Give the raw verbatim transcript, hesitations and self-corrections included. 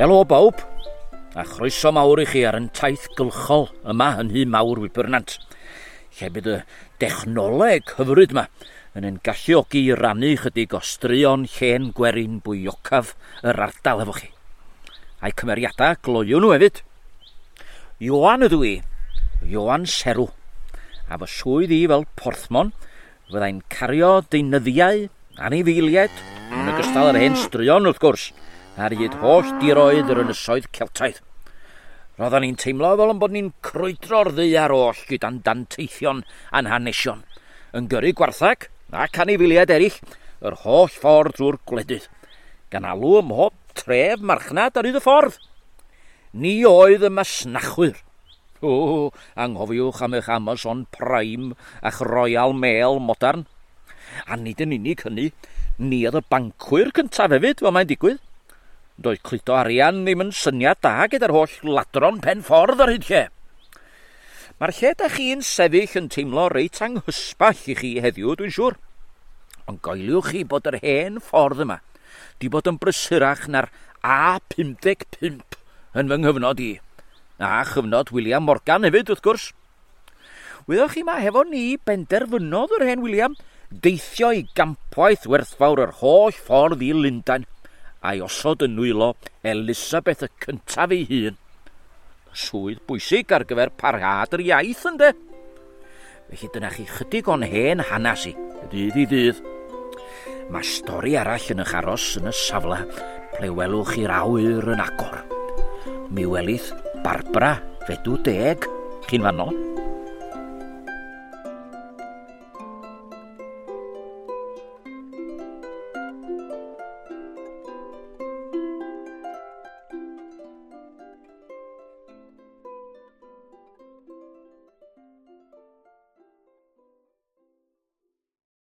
Helo bawb, a chroeso mawr i chi ar yn taith gylchol yma yn Nhŷ Mawr Wybrnant, lle bydd y dechnoleg hyfryd yma yn ein galluogi i rannu chydig o straeon llên gwerin bwyocaf yr ardal efo chi. A'i cymeriadau gloyw nhw hefyd. Ioan ydw i, Ioan Serw, a fy swydd i fel porthmon fyddai'n cario deunyddiau, anifeiliaid, yn ogystal â'r hen straeon wrth gwrs, ar hyd holl diroedd yr ynysoedd Celtaidd. Roedden ni'n teimlo fel yn bod ni'n crwydro'r ddaear oll gyda'n danteithion a'n hanesion, yn gyrru gwarthag ac anifeiliaid eraill yr holl ffordd drwy'r gwledydd, gan alw ym mhob tref marchnad ar hyd y ffordd. Ni oedd y masnachwyr. O, anghofiwch am eich Amazon Prime a'ch Royal Mail modern. A nid yn unig hynny, ni oedd y bancwyr cyntaf hefyd, fel mae'n digwydd. Doedd cludo arian ddim yn syniad da gyda'r holl ladron pen ffordd ar hyd lle. Mae'r lle da chi'n sefyll yn teimlo reit anghysbell i chi heddiw, dwi'n siŵr. Ond goeliwch chi bod yr hen ffordd yma di bod yn brysurach na'r A pum deg pump yn fy nghyfnod i. A chyfnod William Morgan hefyd, wrth gwrs. Wyddoch chi ma hefo ni benderfynodd yr hen William deithio i gampwaith werthfawr yr holl ffordd i Lundain a'i osod yn nwylo Elisabeth y cyntaf ei hun. Swydd bwysig ar gyfer parhad yr iaith, ynde? Felly dyna chi chydig o'n hen hanes i, dydd i ddydd. Mae stori arall yn eich aros yn y safle ple welwch chi'r awyr yn agor. Mi welith Barbara fedw deg, chi'n fanno.